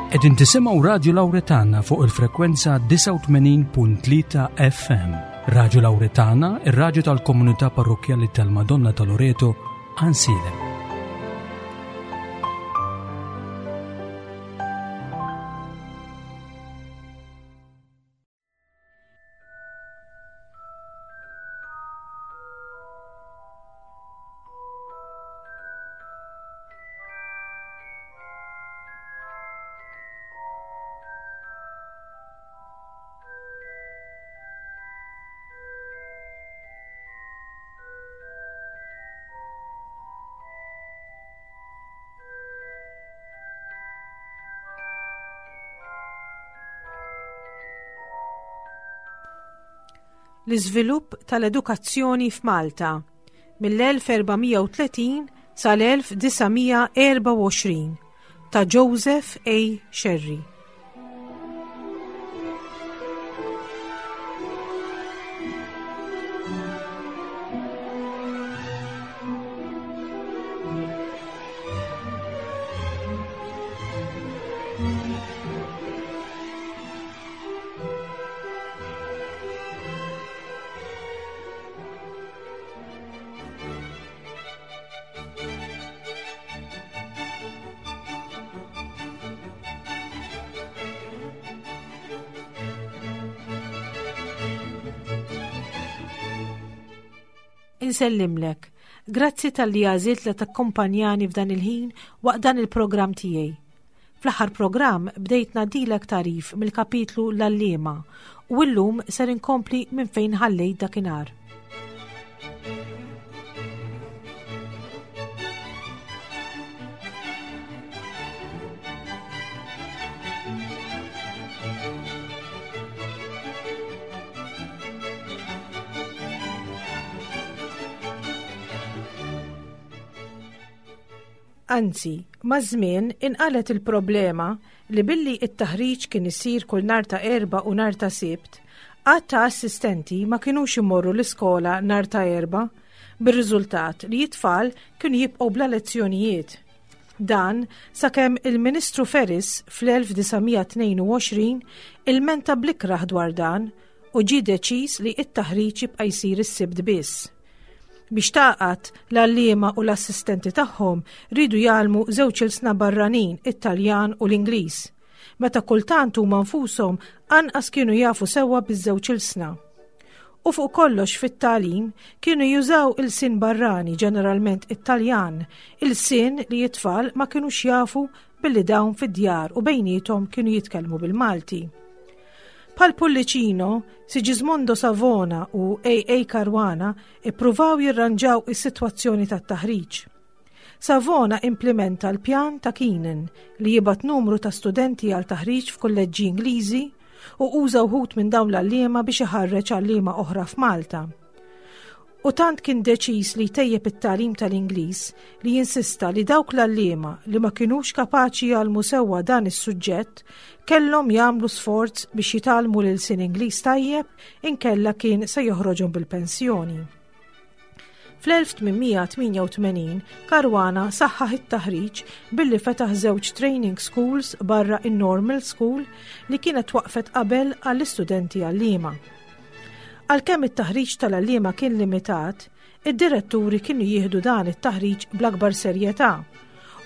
Qegħdin tisimgħu Radju Lawretana fuq il-frekwenza 89.3 FM. Radju Lawretana, ir-radju tal-komunità parrokkjali tal-Madonna ta' Loreto, Ansilem. L-iżvilupp tal-edukazzjoni f'Malta mill-1430 sal-1924 ta' Joseph A. Scerri. Insellimlek. Grazzi talli għażilt li takkompanjani f'dan il-ħin waqt dan il-programm tiegħi. Fl-aħħar programm bdejt ngħaddilek tagħrif mill-kapitlu L-Għalliema u illum ser inkompli minn fejn ħallejt dakinhar. Anzi, maż-żmien inqalgħet il-problema li billi t-taħriġ kien isir kull nhar ta' Erbgħa u nhar ta' Sibt, għadd ta' assistenti ma kinux imorru l-iskola nhar ta' Erbgħa, bir-riżultat li t-tfal kienu jibqgħu bla lezzjonijiet. Dan sakemm il-Ministru Ferris fl-1922 ilmenta bl-ikrah dwar dan u ġie deċiż li t-taħriġ jibqa' jsir is-Sibt biss. Biex tagħqad, l-għalliema u l-assistenti tagħhom riedu jgħallmu żewġ ilsna barranin, it-Taljan u l-Ingliż. Meta kultant huma nfushom anqas kienu jafu sewwa biż-żewġ ilsna. U fuq kollox fit-tagħlim kienu jużaw ilsien barrani, ġeneralment it-Taljan, ilsien li t-tfal ma kinux jafu billi dawn fid-djar u bejniethom kienu jitkellmu bil-Malti. Bħal Pullicino, Sigismondo Savona u A.A. Caruana ippruvaw jirranġaw is-sitwazzjoni tat-taħriġ. Savona implimenta l-pjan ta' Keenan li jibgħat numru ta' studenti għal taħriġ f'kulleġġi Ingliżi u uża wħud minn dawn l-għalliema biex iħarreġ għalliema oħra f'Malta. U tant kien deċiż li jtejjeb it-tagħlim tal-Ingliż li insista li dawk l-għalliema li ma kinux kapaċi jgħallmu sewwa dan is-suġġett kellhom jagħmlu sforz biex jitgħallmu l-ilsien Ingliż tajjeb inkella kien se joħroġhom bil-pensjoni. Fl-1888 Caruana saħħaħ it-taħriġ billi fetaħ żewġ training schools barra in-Normal School li kienet waqfet qabel għall-istudenti għalliema. Għalkemm it-taħriġ tal-għalliema kien limitat, id-diretturi kienu jieħdu dan it-taħriġ bl-akbar serjetà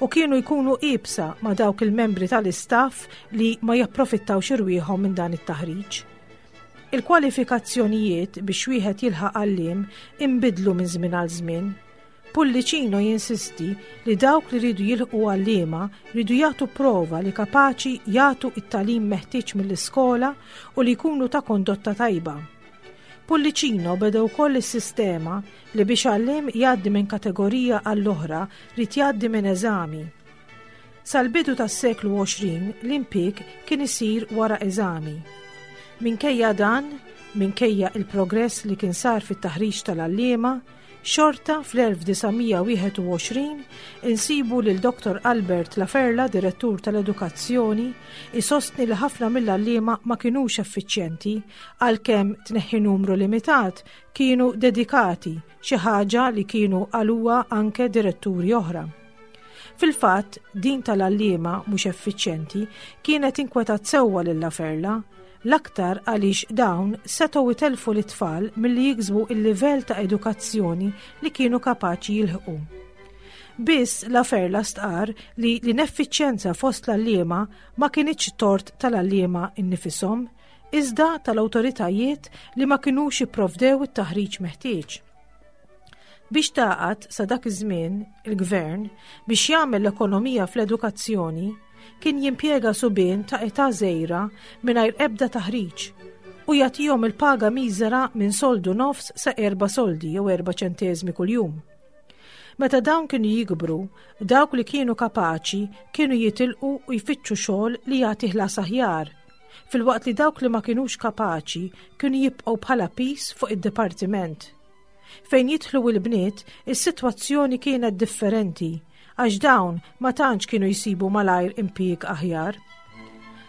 u kienu jkunu iebsa ma' dawk il-membri tal-istaff li ma japprofittawx irwieħhom minn dan it-taħriġ. Il-kwalifikazzjonijiet biex wieħed jilħaq għalliem inbidlu minn żmien għal żmien. Pullicino jinsisti li dawk li riedu jilħqu għalliema riedu jagħtu prova li kapaċi jagħtu t-tagħlim meħtieġ mill-iskola u li jkunu ta' kondotta tajba. Pullicino beda wkoll is-sistema li biex għalliem jgħaddi minn kategorija għall-oħra ried jgħaddi minn eżami. Sal-bidu tas-seklu 20 l-impieg kien isir wara eżami. Minkejja dan, minkejja il-progress li kien sar fit-taħriġ tal-għalliema, Xorta fl-1921 insibu lil Dottor Albert Laferla, Direttur tal-Edukazzjoni, isostni li ħafna mill-għalliema ma kinux effiċjenti għalkemm tneħħi numru limitat kienu dedikati, xi ħaġa li kienu qaluha anke diretturi oħra. Fil-fatt, din tal-għalliema mhux effiċjenti kienet inkwetat sewwa lil Laferla, l-aktar għaliex dawn setgħu itellfu lit-tfal milli jiksbu l-livell ta' edukazzjoni li kienu kapaċi jilħqu. Biss Laferla stqarr li l-ineffiċjenza fost l-għalliema ma kinitx tort tal-għalliema innifishom, iżda tal-awtoritajiet li ma kinux ipprovdew it-taħriġ meħtieġ. Biex tagħqad sa dak iż-żmien, il-gvern, biex jagħmel l-ekonomija fl-edukazzjoni, kien jimpjega subien ta' età żgħira mingħajr ebda taħriġ u jagħtihom il-paga miżera minn soldu nofs sa erba' soldi jew erba' ċenteżmi kuljum. Meta dawn kienu jikbru, dawk li kienu kapaċi kienu jitilqu u jfittxu xogħol li jagħti ħlas aħjar, filwaqt li dawk li ma kinux kapaċi kienu jibqgħu bħala piż fuq id-dipartiment. Fejn jidħlu l-bniet, is-sitwazzjoni kienet differenti għax dawn ma tantx kienu jsibu malajr impjieg aħjar.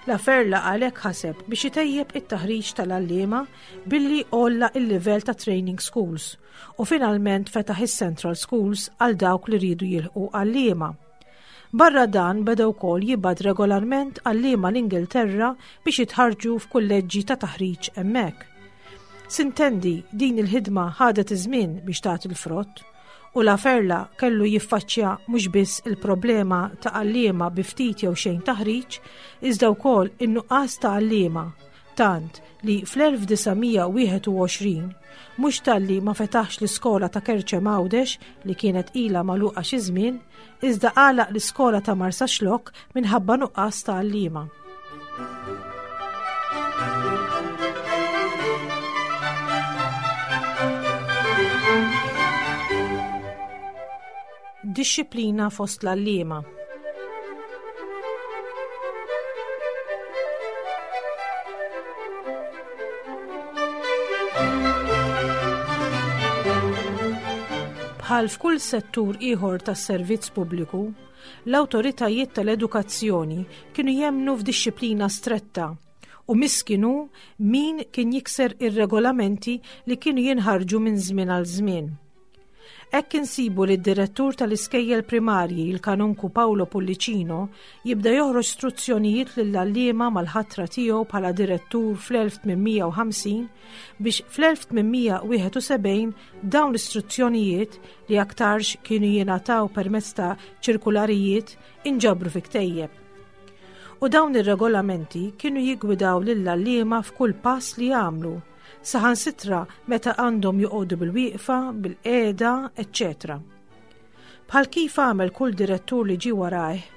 La Ferla għalhekk ħaseb biex itejjeb it-taħriġ tal-għalliema billi għolla il-livell ta' training schools u finalment fetaħ is-Central Schools għal dawk li riedu jilħqu għalliema. Barra dan beda wkoll jibgħat regolarment għalliema l-Ingilterra biex jitħarrġu f'kulleġġi ta' taħriġ hemmhekk. Sintendi din il-ħidma ħadet iż-żmien biex tagħti l-frott u La Ferla kellu jiffaċċja mhux biss il-problema ta' għalliema bi ftit jew xejn taħriġ, iżda wkoll in-nuqqas ta' għalliema tant li fl-1921 mhux talli ma fetaħx l-iskola ta' Kerċem Għawdex li kienet ilha magħluqa xi żmien, iżda għalaq l-iskola ta' Marsaxlokk minħabba nuqqas ta' għalliema. Dixxiplina fost l-għalliema. Bħal f'kull settur ieħor tas-servizz pubbliku, l-awtoritajiet tal-edukazzjoni kienu jemmnu f'dixxiplina stretta u miskin hu min kien jikser ir-regolamenti li kienu jinħarġu minn żmien għal żmien. Hekk insibu li d-direttur tal-iskejjel primarji, il-Kanonku Paolo Pullicino, jibda joħroġ struzzjonijiet lill-għalliema mal-ħatra tiegħu bħala direttur fl-1850 biex fl-1871 dawn l-istruzzjonijiet li aktarx kienu jingħataw permezz ta' ċirkularijiet inġabru fi ktejjeb. U dawn ir-regolamenti kienu jiggwidaw lill-għalliema f'kull pass li jagħmlu saħansitra meta għandhom joqogħdu bil-wieqfa, bil-qiegħda, eċċetera. Bħal kif għamel kull direttur li ġie warajh,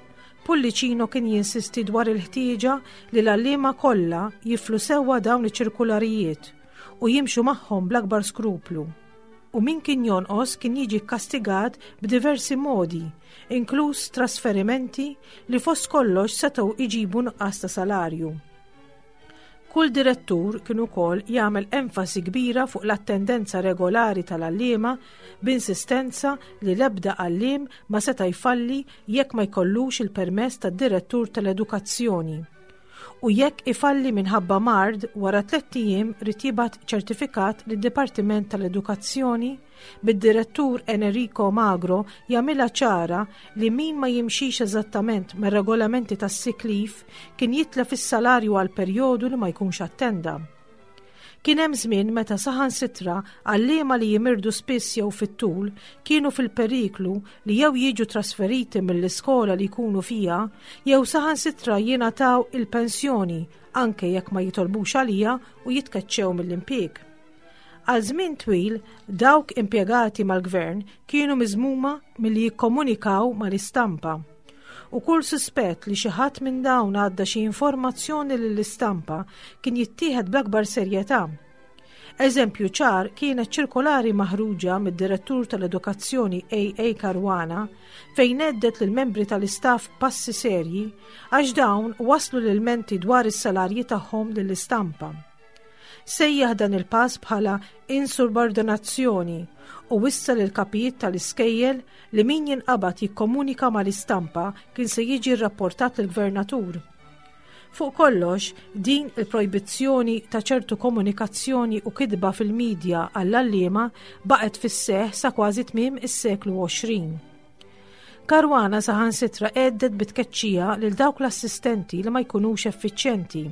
Pullicino kien jinsisti dwar il-ħtieġa li l-għalliema kollha jiflu sewwa dawn iċ-ċirkularijiet u jimxu magħhom bl-akbar skruplu. U min kien jonqos kien jiġi kkastigat b'diversi modi, inkluż trasferimenti li fost kollox setgħu iġibu nuqqas ta' salarju. Kull direttur kien ukoll jagħmel enfasi kbira fuq l-attendenza regolari tal-għalliema b'insistenza li l-ebda għalliem ma seta' jfalli jekk ma jkollux il-permess tad-direttur tal-edukazzjoni. U jekk ifalli minħabba mard wara tlett ijiem ried jibgħat ċertifikat lid-Dipartiment tal-Edukazzjoni bid-direttur Enerico Magro jagħmilha ċara li min ma jimxix eżattament mar-regolamenti tas-sick leave kien jitlef is-salarju għal perjodu li ma jkunx attenda. Kien hemm żmien meta saħansitra għalliema li jimirdu spiss jew fit-tul kienu fil-periklu li jew jiġu trasferiti mill-iskola li jkunu fiha jew saħansitra jingħataw il-pensjoni anke jekk ma jitolbux għaliha u jitkeċċew mill-impjieg. Għal żmien twil, dawk impjegati mal-gvern kienu miżmuma milli jikkomunikaw mal-istampa. U kull suspett li xi ħadd minn dawn għadda xi informazzjoni lill-istampa kien jittieħed bl-akbar serjetà. Eżempju ċar kienet ċirkolari maħruġa mid-Direttur tal-Edukazzjoni AA Caruana fejn għeddet lill-membri tal-istaff passi serji għax dawn waslu l-ilmenti dwar is-salarji tagħhom lill-istampa. Sejjaħ dan il-pass bħala insubordinazzjoni u wissa lill-kapijiet tal-iskejjel li min jinqabad jikkomunika mal-istampa kien se jiġi rrapportat lill-gvernatur. Fuq kollox, din il-projbizzjoni ta' ċertu komunikazzjoni u kitba fil-midja għall-għalliema baqgħet fis-seħħ sa kważi tmiem is-seklu 20. Caruana saħansitra għeddet bi tkeċċija lil dawk l-assistenti li ma jkunux effiċjenti.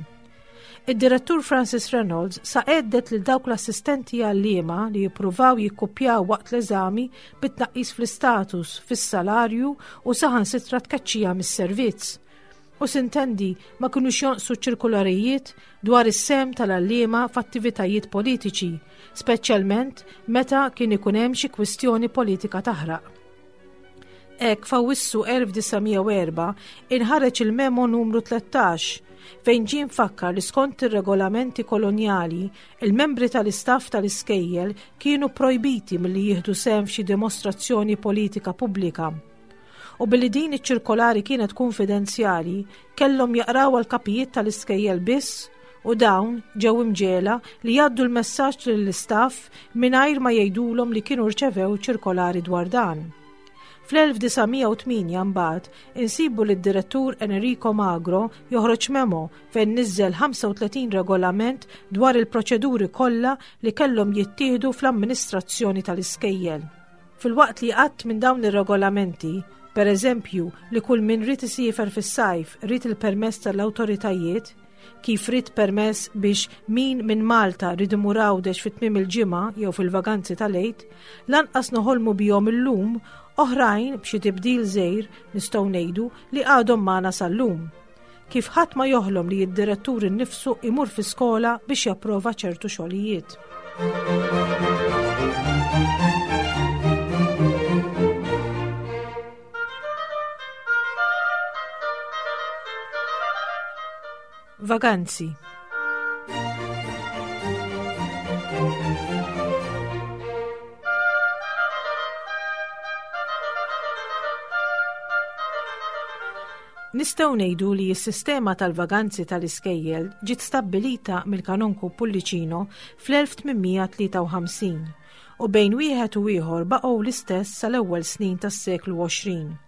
Id-direttur Francis Reynolds sa għeddet lil dawk l-assistenti għalliema li jippruvaw jikkupjaw waqt l-eżami bi tnaqqis fl-istatus, fis-salarju u saħansitra tkeċċija mis-servizz. U sintendi ma kinux jonqsu ċirkularijiet dwar is-sehem tal-għalliema f'attivitajiet politiċi, speċjalment meta kien ikun hemm xi kwistjoni politika taħraq. Hekk f'Awwissu 1904 inħareġ il-Memo numru 13 fejn ġie mfakkar li skont ir-regolamenti kolonjali, il-membri tal-istaff tal-iskejjel kienu projbiti milli jieħdu sehem f'xi dimostrazzjoni politika pubblika. U billi din iċ-ċirkolari kienet kunfidenzjali, kellhom jaqrawha l-kapijiet tal-iskejjel biss u dawn ġew imġegħla li jgħaddu l-messaġġ lill-istaff mingħajr ma jgħidulhom li kienu rċevew ċirkolari dwar dan. Fl-1908 mbagħad insibu lid direttur Enrico Magro joħroġ memo fejn niżżel 35 regolament dwar il-proċeduri kollha li kellhom jittieħdu fl-amministrazzjoni tal-iskejjel. Filwaqt li għadd minn dawn ir-regolamenti, per eżempju li kull min ried isiefer fis-sajf ried il-permess tal-awtoritajiet, kif ried permess biex min minn Malta ried imur Għawdex fi tmiem il-ġimgħa jew fil-vaganzi tal-Għid, lanqas noħolmu bihom illum, oħrajn b'xi tibdil żgħir nistgħu ngħidu li għadhom magħna sal-lum. Kif ħadd ma joħlom li d-direttur innifsu imur fi skola biex japprova ċertu xogħlijiet. Vaganzi. Nistgħu ngħidu li s-sistema tal-vaganzi tal-iskejjel ġiet stabbilita mill-Kanonku Pullicino fl-1853 u bejn wieħed u ieħor baqgħu l-istess sal-ewwel snin tas-seklu 20.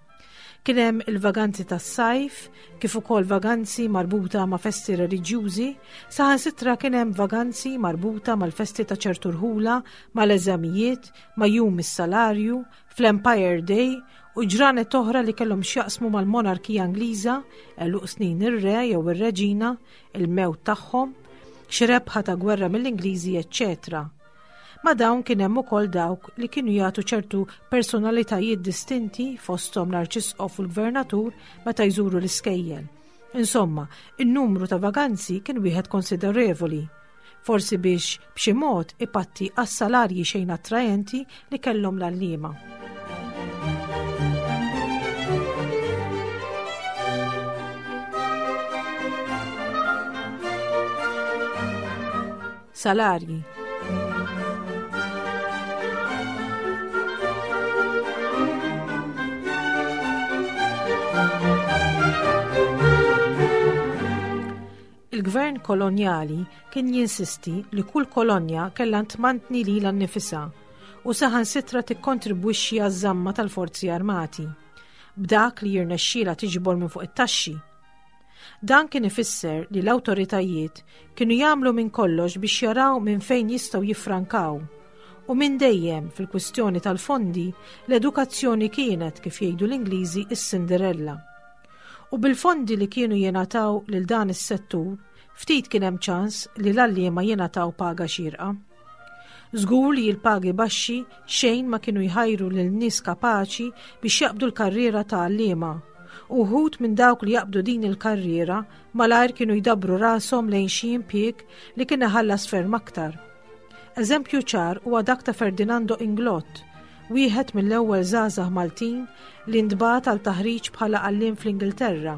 Kien hemm il-vaganzi tas-sajf, kif ukoll vaganzi marbuta ma' festi reliġjużi, saħansitra kien hemm vaganzi marbuta mal-festi ta' ċertu rħula, mal-eżamijiet, ma' jum is-salarju, fl-Empire Day u ġranet oħra li kellhom x'jaqsmu mal-monarkija Ingliża, għeluq snin ir-re jew ir-reġina, il-mewt tagħhom, xi rebħa ta' gwerra mill-Ingliżi, eċċetera. Ma' dawn kien hemm ukoll dawk li kienu jagħtu ċertu personalitajiet distinti fosthom l-Arċisqof u l-Gvernatur meta jżuru l-iskejjel. Insomma, in-numru ta' vaganzi kien wieħed konsiderevoli. Forsi biex b'xi mod ipatti għas-salarji xejn attraenti li kellhom l-għalliema. Salarji. Il-gvern kolonjali kien jinsisti li kull kolonja kellha tmantni lilha nnifisha u saħansitra tikkontribwixxi għaż-żamma tal-forzi armati b'dak li jirnexxielha tiġbor minn fuq it-taxxi. Dan kien ifisser li l-awtoritajiet kienu jagħmlu minn kollox biex jaraw minn fejn jistgħu jiffrankaw. U minn dejjem, fil-kwistjoni tal-fondi, l-edukazzjoni kienet, kif jgħidu l-Ingliżi, is-Cinderella. U bil-fondi li kienu jingħataw lil dan is-settur, ftit kien hemm ċans li l-għalliema jingħataw paga xierqa. Żgur li l-pagi baxxi xejn ma kienu jħajru lil nies kapaċi biex jaqbdu l-karriera ta' għalliema. Uħud minn dawk li jaqbdu din il-karriera malajr kienu jdabbru rashom lejn xi impjieg li kien iħallas ferm aktar. Eżempju ċar huwa dak ta' Ferdinando Inglott, wieħed mill-ewwel żgħażagħ Maltin li ntbagħat għal taħriġ bħala għalliem fl-Ingilterra.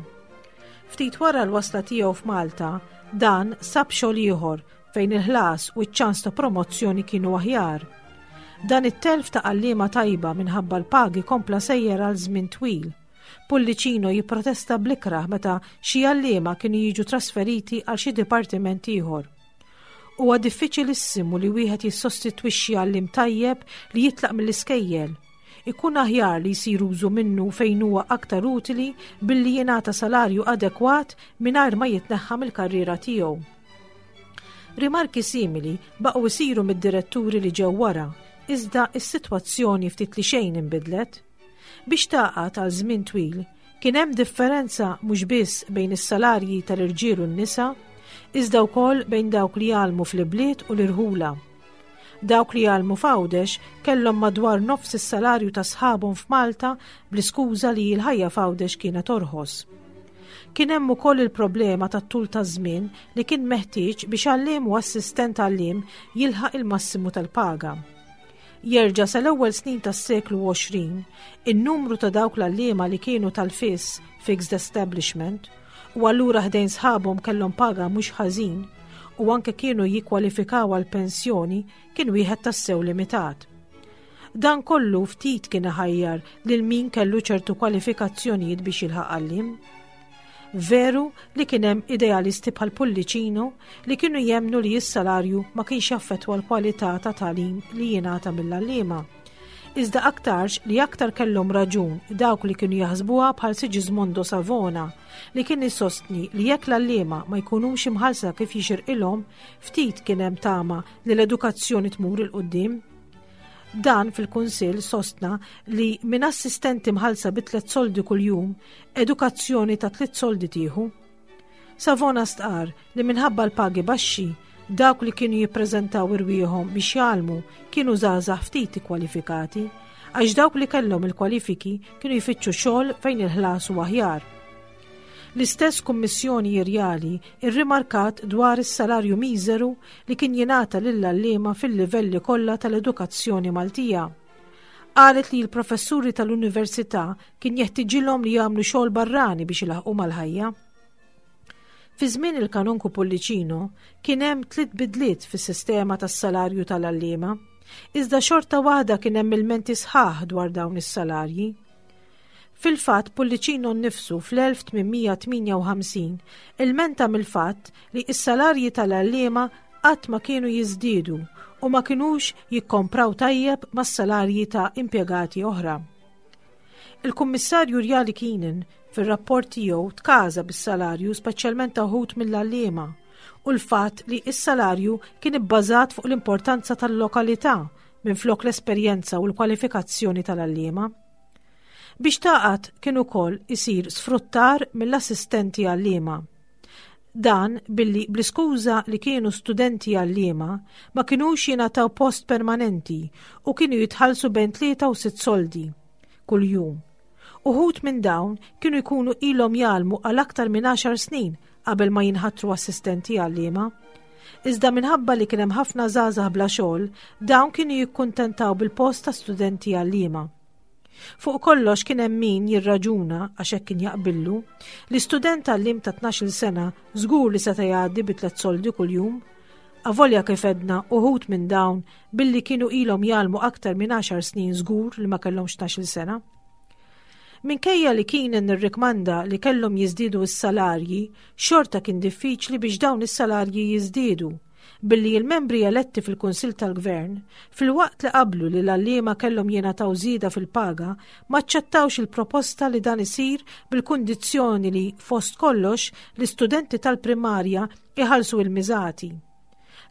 Ftit wara l-wasla tiegħu f'Malta, dan sab xogħol ieħor fejn il-ħlas u ċ-ċans ta' promozzjoni kienu aħjar. Dan it-telf ta' għalliema tajba minħabba l-pagi kompla sejjer għal żmien twil. Pullicino jipprotesta bl-ikrah meta xi għalliema kienu jiġu trasferiti għal xi dipartiment ieħor. Huwa diffiċilissimu li wieħed jissostitwixxi għalliem tajjeb li jitlaq mill-iskejjel. Ikun aħjar li jsir użu minnu fejn huwa aktar utili billi jingħata salarju adekwat mingħajr ma jitneħħa mill-karriera tiegħu. Rimarki simili baqgħu jsiru mid-diretturi li ġew wara, iżda s-sitwazzjoni ftit li xejn inbidlet. Biex tagħqad għal żmien twil, kien hemm differenza mhux biss bejn is-salarji tal-irġiel u n-nisa, iżda wkoll bejn dawk li jgħallmu fl-ibliet u l-irħula. Dawk li jgħallmu f'Għawdex kellhom madwar nofs is-salarju ta' sħabhom f'Malta bl-iskuża li l-ħajja f'Għawdex kienet orħos. Kien hemm ukoll il-problema tat-tul ta' żmien li kien meħtieġ biex għalliem u assistent għalliem jilħaq il-massimu tal-paga. Jerġa' sal-ewwel snin tas-seklu 20, in-numru ta' dawk l-għalliema li kienu tal-fiss, fixed establishment, u allura ħdejn sħabhom kellhom paga mhux ħażin u anke kienu jikkwalifikaw għal pensjoni kien wieħed tassew limitat. Dan kollu ftit kien iħajjar lil min kellu ċertu kwalifikazzjonijiet biex jilħaq għalliem. Veru li kien hemm idealisti bħal Pullicino li kienu jemmnu li s-salarju ma kienx jaffettwa l-kwalità ta' tagħlim li jingħata mill-għalliema. Iżda aktarx li aktar kellhom raġun dawk li kienu jaħsbuha bħal Sigismondo Savona li kien isostni li jekk l-għalliema ma jkunux imħallsa kif jixirqilhom, ftit kien hemm tama li l-edukazzjoni tmur 'il quddiem. Dan fil-Kunsill sostna li minn assistenti mħallsa bi tliet soldi kuljum, edukazzjoni ta' tliet soldi tieħu. Savona stqar li minħabba l-pagi baxxi, dawk li kienu jippreżentaw irwieħhom biex jgħallmu kienu żgħażagħ ftit ikkwalifikati, għax dawk li kellhom il-kwalifiki kienu jfittxu xogħol fejn il-ħlas huwa aħjar. L-istess Kummissjoni Irjali rrimarkat dwar is-salarju miżeru li kien jingħata lill-għalliema fil-livelli kollha tal-edukazzjoni Maltija. Qalet li l-professuri tal-università kien jeħtiġilhom li jagħmlu xogħol barrani biex ilaħqu mal-ħajja. Fi żmien il-Kanonku Pullicino kien hemm tliet bidliet fis-sistema tas-salarju tal-għalliema, iżda xorta waħda kien hemm ilmenti sħaħ dwar dawn is-salarji. Fil-fatt, Pullicino nnifsu fl-1858 ilmenta mill-fatt li s-salarji tal-għalliema qatt ma kienu jiżdiedu u ma kinux jikkompraw tajjeb mas-salarji ta' impjegati oħra. Il-Kummissarju Rjali Keenan fir-rapport tiegħu tkaża bis-salarju speċjalment ta' wħud mill-għalliema u l-fatt li s-salarju kien ibbażat fuq l-importanza tal-lokalità minflok l-esperjenza u l-kwalifikazzjoni tal-għalliema. Biex tagħqad kien ukoll isir sfruttar mill-assistenti għalliema. Dan billi bl-iskuża li kienu studenti għalliema ma kinux jingħataw post permanenti u kienu jitħallsu bejn tlieta u sitt soldi kuljum. Uħud minn dawn kienu jkunu ilhom jgħallmu għal aktar minn għaxar snin qabel ma jinħatru assistenti għalliema. Iżda minħabba li kien hemm ħafna żgħażagħ bla xogħol, dawn kienu jikkuntentaw bil-post ta' studenti għalliema. Fuq kollox kien hemm min jirraġuna għax hekk kien jaqbillu li student għalliem ta' 12-il sena żgur li seta' jgħaddi bi tliet soldi kuljum. Avolja kif edna uħud minn dawn billi kienu ilhom jgħallmu aktar minn għaxar snin żgur li ma kellhomx 12-il sena. Minkejja li Keenan irrikmanda li kellhom jiżdiedu s-salarji, xorta kien diffiċli biex dawn is-salarji jiżdiedu billi l-membri eletti fil-Kunsill tal-Gvern, filwaqt li qablu li l-għalliema kellhom jingħataw żieda fil-paga, ma aċċettawx il-proposta li dan isir bil-kundizzjoni li, fost kollox, l-istudenti tal-primarja iħallsu il-miżati.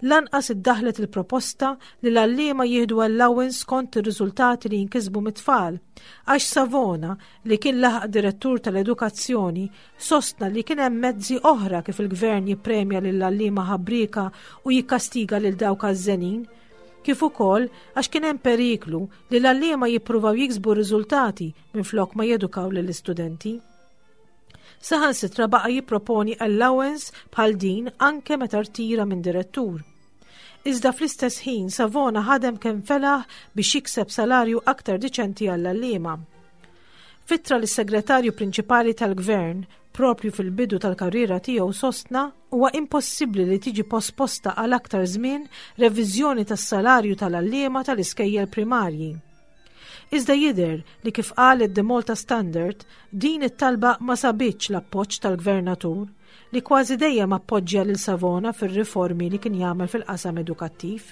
Lanqas iddaħħlet il-proposta li l-għalliema jieħdu allowance skont ir-riżultati li jinkisbu mit-tfal, għax Savona, li kien laħaq direttur tal-edukazzjoni, Sostna li kien hemm mezzi oħra kif il-Gvern jippremja lill-għalliema ħabrieka u jikkastiga lil dawk għażżenin, kif ukoll għax kien hemm periklu li l-għalliema jippruvaw jiksbu riżultati minflok ma jedukaw lill-istudenti. Saħansitra baqa' jipproponi allowance bħal din anke meta rtira minn direttur. Iżda fl-istess ħin Savona ħadem kemm felaħ biex jikseb salarju aktar diċenti għall-għalliema. F'ittra lis-Segretarju Prinċipali tal-Gvern, proprju fil-bidu tal-karriera tiegħu sostna huwa impossibbli li tiġi posposta għal aktar żmien reviżjoni tas-salarju tal-għalliema tal-iskejjel primarji. Iżda jidher li kif qalet The Malta Standard, din it-talba ma sabitx l-appoġġ tal-Gvernatur, li kważi dejjem appoġġja lil Savona fir-riformi li kien jagħmel fil-qasam edukattiv.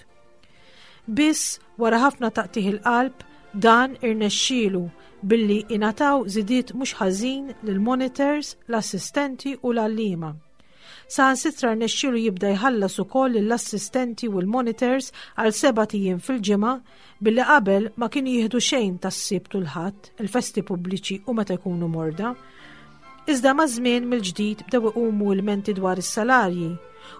Biss, wara ħafna taqtigħ il-qalb, dan irnexxielu billi ingħataw żidiet mhux ħażin lill-monitors, l-assistenti u l-għalliema. Saħansitra rnexxielu jibda jħallas ukoll lill-assistenti u l-monitors għal sebat ijiem fil-ġimgħa billi qabel ma kienu jieħdu xejn tas-Sibt u l-Ħadd, il-festi pubbliċi u meta jkunu morda. Iżda maż-żmien mill-ġdid bdew iqumu ilmenti dwar is-salarji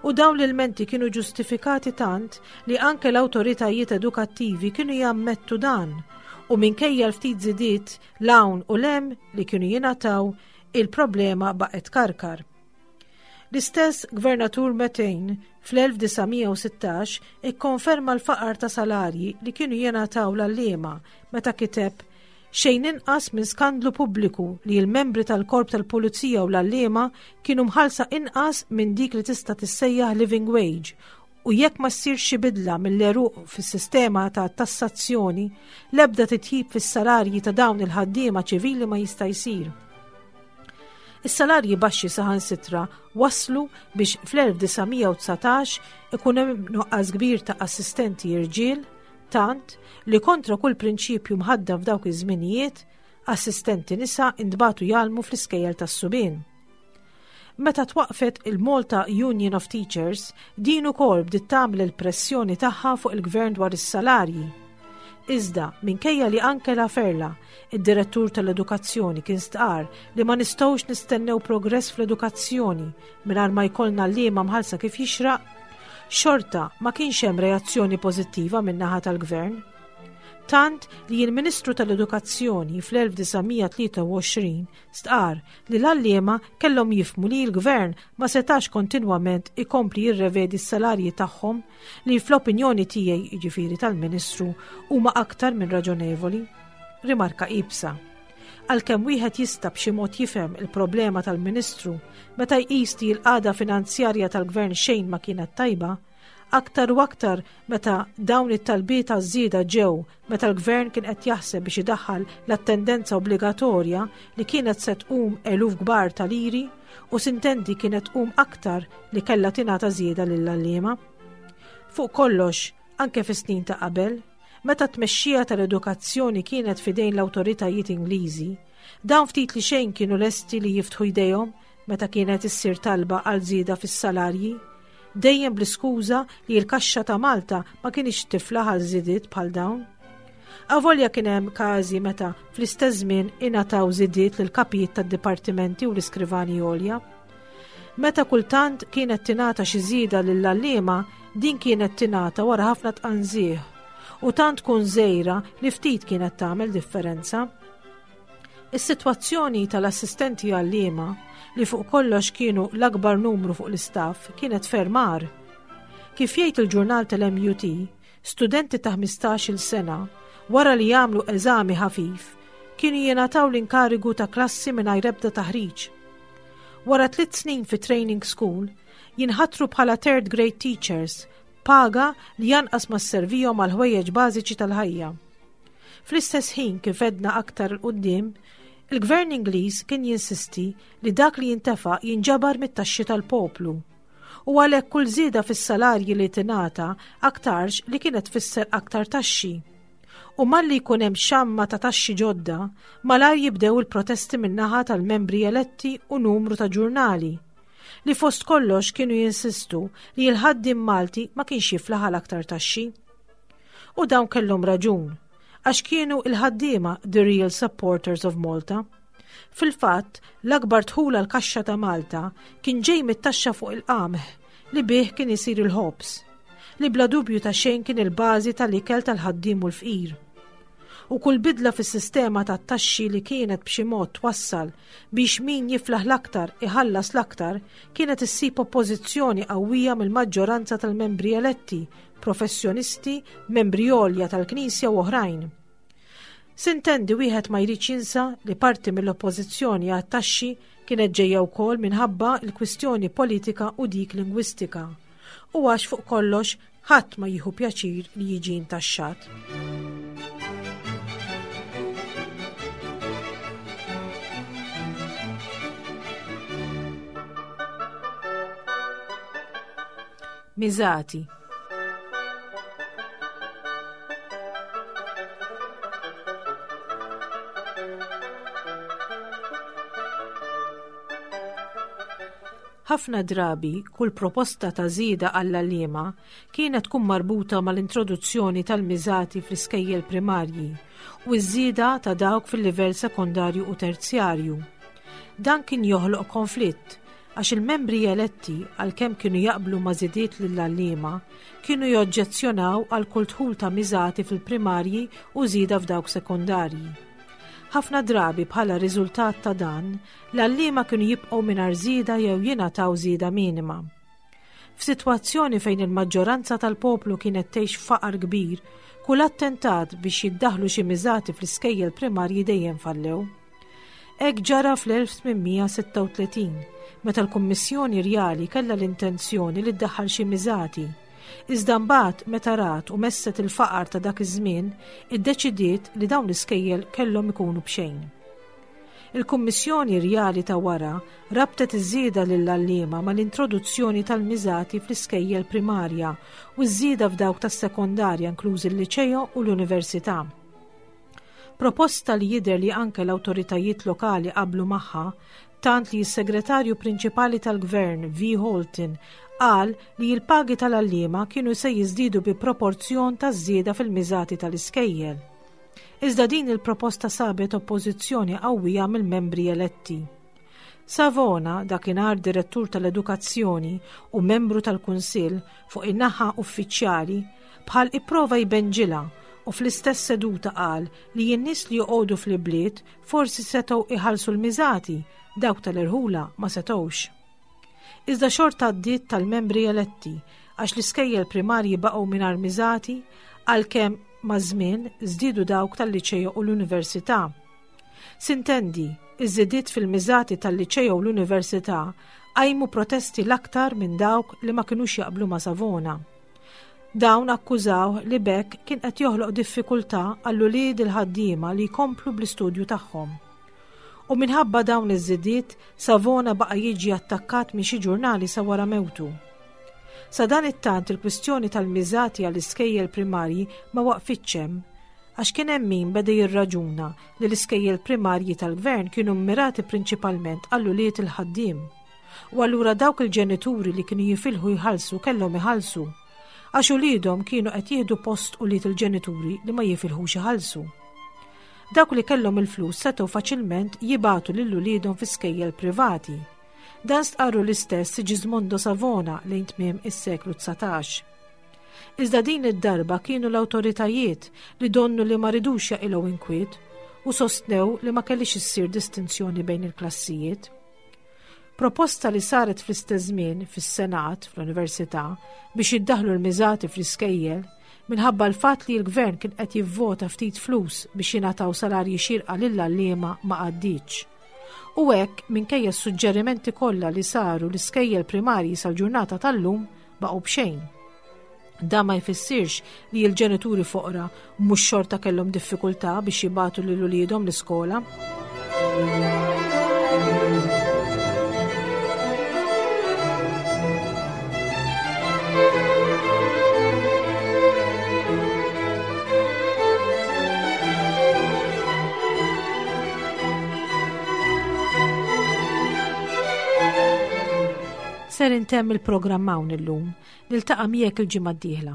u dawn l-ilmenti kienu ġustifikati tant li anke l-awtoritajiet edukattivi kienu jammettu dan u minkejja l-ftit żidiet 'l hawn u 'l hemm li kienu jingħataw, il-problema baqgħet tkarkar. L-istess Gvernatur Metain fl-1916 ikkonferma l-faqar ta' salarji li kienu jingħataw l-għalliema meta kiteb Xejn inqas minn skandlu pubbliku li l-membri tal-korp tal-pulizija u l-għalliema kienu mħallsa inqas minn dik li tista' tissejjaħ living wage u jekk ma ssirx xi bidla mill-għeruq fis-sistema ta' tassazzjoni, l-ebda titjib fis-salarji ta' dawn il-ħaddiema ċivili ma jista' jsir. Is-salarji baxxi saħansitra wasslu biex fl-1919 ikun hemm nuqqas kbir ta' assistenti irġiel, tant li kontra kull prinċipju mħaddan f'dawk iż-żminijiet, assistenti nisa intbagħtu jgħallmu fl-iskejjel tas-subien. Meta twaqqfet il-Malta Union of Teachers, din ukoll bdiet tagħmel il-pressjoni tagħha fuq il-gvern dwar is-salarji. Iżda, minkejja li anke Laferla, id-direttur tal-edukazzjoni kien stqarr li ma nistgħux nistennew progress fl-edukazzjoni mingħajr ma jkollna għalliema mħallsa kif jixraq, xorta ma kienx hemm reazzjoni pożittiva min-naħa tal-gvern. Tant li l-Ministru tal-Edukazzjoni fl-1923 Stqarr li l-għalliema kellhom jifhmu li l-Gvern ma setax kontinwament ikompli jirrevedi s-salarji tagħhom li fl-opinjoni tiegħi, jiġifieri tal-Ministru, huma aktar minn raġonevoli. Rimarka iebsa. Għalkemm wieħed jista' b'xi mod jifhem il-problema tal-Ministru meta jqis li l-qagħda finanzjarja tal-Gvern xejn ma kienet tajba, Aktar u aktar meta dawn it-talbiet għaż-żieda ġew meta l-Gvern kien qed jaħseb biex idaħħal l-attendenza obbligatorja li kienet se tqum eluf kbar ta' liri u sintendi kienet tqum aktar li kellha tingħata żieda lill-għalliema. Fuq kollox, anke fis-snin ta' qabel, meta t-tmexxija tal-edukazzjoni kienet f'idejn l-awtoritajiet Ingliżi, dawn ftit li xejn kienu lesti li jiftħu jdejhom meta kienet issir talba għal żieda fis-salarji, dejjem bl-iskuża li l-kaxxa ta' Malta ma kinitx tiflaħ għal żidiet bħal dawn. Avolja kien hemm każi meta fl-istess żmien ingħataw żidiet lil kapijiet tad-dipartimenti u l-iskrivani għolja. Meta kultant kienet tingħata xi żieda lill-għalliema, din kienet tingħata wara ħafna tqanżih u tant tkun żgħira li ftit kienet tagħmel differenza. Is-sitwazzjoni tal-assistenti għalliema, li fuq kollox kienu l-akbar numru fuq l-istaff, kienet ferm agħar. Kif jgħid il-ġurnal tal-MUT, studenti ta' 15-il sena, wara li jagħmlu eżami ħafif, kienu jingħataw l-inkarigu ta' klassi mingħajr ebda taħriġ. Wara tliet snin fi training school, jinħatru bħala third grade teachers, paga li anqas ma sservihom għal ħwejjeġ bażiċi tal-ħajja. Fl-istess ħin kif għedna aktar 'il quddiem, il-Gvern Ingliż kien jinsisti li dak li jintefaq jinġabar mit-taxxi tal-poplu. U għalhekk kull żieda fis-salarji li tingħata aktarx li kienet tfisser aktar taxxi. U malli jkun hemm xamma ta' taxxi ġodda, malajr jibdew il-protesti min-naħa tal-membri eletti u numru ta' ġurnali, li fost kollox kienu jinsistu li l-ħaddiem Malti ma kienx jiflaħ għal aktar taxxi. U dawn kellhom raġun, għax kienu il-ħaddiema the real supporters of Malta. Fil-fatt, l-akbar dħul għall-kaxxa ta' Malta kien ġej mit-taxxa fuq il-qamħ li bih kien isir il-ħobż, li bla dubju ta' xejn kien il-bażi tal-ikel tal-ħaddiem u l-fqir. U kull bidla fis-sistema tat-taxxi li kienet b'xi mod twassal biex min jiflaħ l-aktar iħallas l-aktar kienet issib oppożizzjoni qawwija mill-maġġoranza tal-membri eletti professjonisti, membri għolja tal-Knisja u oħrajn. Sintendi wieħed ma jridx jinsa li parti mill-oppożizzjoni għat-taxxi kienet ġejja wkoll minħabba l-kwistjoni politika u dik lingwistika. U għax fuq kollox ħadd ma jieħu pjaċir li jiġi intaxxat. Miżati. Ħafna drabi kull proposta ta' żieda għall-għalliema kienet tkun marbuta mal-introduzzjoni tal-miżati fl-iskejjel primarji u ż-żieda ta' dawk fil-livell sekondarju u terzjarju. Dan kien joħloq konflitt għax il-membri eletti għalkemm kienu jaqblu ma' żidiet lill-għalliema, kienu joġġezzjonaw għal kull dħul ta' miżati fil-primarji u żieda f'dawk sekondarji. Ħafna drabi bħala riżultat ta' dan, l-għalliema kienu jibqgħu mingħajr żieda jew jingħataw żieda minima. F'sitwazzjoni fejn il-maġġoranza tal-poplu kienet tgħix f'faqar kbir, kull attentat biex jiddaħlu xi miżati fl-iskejjel primarji dejjem fallew. Hekk ġara fl-1836, meta l-Kummissjoni Rjali kellha l-intenzjoni li ddaħħal xi miżati. Iżda mbagħad meta rat u messet il-faqar ta' dak iż-żmien, iddeċidiet li dawn l-iskejjel kellhom ikunu b'xejn. Il-Kummissjoni Rjali ta' wara rabtet iż-żieda lill-għalliema mal-introduzzjoni tal-miżati fl-iskejjel primarja u ż-żieda f'dawk tas-sekondarja inklużi l-liċeo u l-università. Proposta li jidher li anke l-awtoritajiet lokali qablu magħha, tant li s-Segretarju Prinċipali tal-Gvern V. Holton qal li l-pagi tal-għalliema kienu se jiżdiedu bi proporzjon taż-żieda fil-miżati tal-iskejjel. Iżda din il-proposta sabet oppożizzjoni qawwija mill-membri eletti. Savona, dakinhar direttur tal-edukazzjoni u membru tal-Kunsill fuq in-naħa uffiċjali, bħal ipprova jbenġilha u fl-istess seduta qal li n-nies li joqogħdu fl-ibliet forsi setgħu iħallsu l-miżati, dawk tal-irħula ma setgħux. Iżda xorta għaddiet tal-membri eletti għax l-iskejjel primarji baqgħu mingħajr miżati għalkemm maż-żmien żdiedu dawk tal-liċeo u l-università. Sintendi, iż-żidiet fil-miżati tal-liċeo u l-università qajmu protesti l-aktar minn dawk li ma kinux jaqblu ma' Savona. Dawn akkużawh li b'hekk kien qed joħloq diffikultà għall-ulied il-ħaddiema li jkomplu bl-istudju tagħhom. U minħabba dawn iż-żidiet, Savona baqa' jiġi attakkat minn xi ġurnali sa wara mewtu. Sadanittant il-kwistjoni tal-miżati għall-iskejjel primarji ma waqfitx hemm, għax kien hemm min beda jirraġuna li l-iskejjel primarji tal-gvern kienu mmirati prinċipalment għall-ulied il-ħaddiem. U allura dawk il-ġenituri li kienu jifilħu jħallsu kellhom iħallsu, għax uliedhom kienu qed jieħdu post ulied il-ġenituri li ma jifilħux iħallsu. Dawk li kellhom il-flus setgħu faċilment jibagħtu lil uliedhom fi skejjel privati. Dan stqarru l-istess Sigismondo Savona lejn tmiem is-seklu 19. Iżda din id-darba kienu l-awtoritajiet li donnu li ma ridux jaqilgħu inkwiet u sostnew li ma kellix issir distinzjoni bejn il-klassijiet. Proposta li saret fl-istess żmien fis-Senat fl-Università biex jiddaħlu l-miżati fl-iskejjel minħabba l-fatt li l-gvern kien qed jivvota ftit flus biex jingħataw salarji xierqa lill-għalliema ma għaddietx. U hekk minkejja s-suġġerimenti kollha li saru l-iskejjel primarji sal-ġurnata tal-lum baqgħu b'xejn. Dan ma jfissirx li l-ġenituri foqra mhux xorta kellhom diffikultà biex jibatu lil uliedhom l-iskola. Ser intemm il-programm hawn illum. Niltaqa' miegħek il-ġimgħa d-dieħla.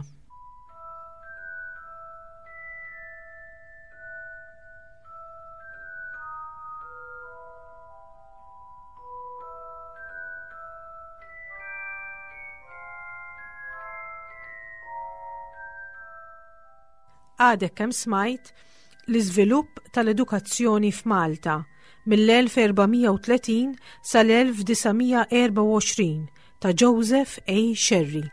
Għadek kemm smajt l-iżvilupp tal-edukazzjoni f'Malta mill-1430 sal-1924 ta' Joseph A. Scerri.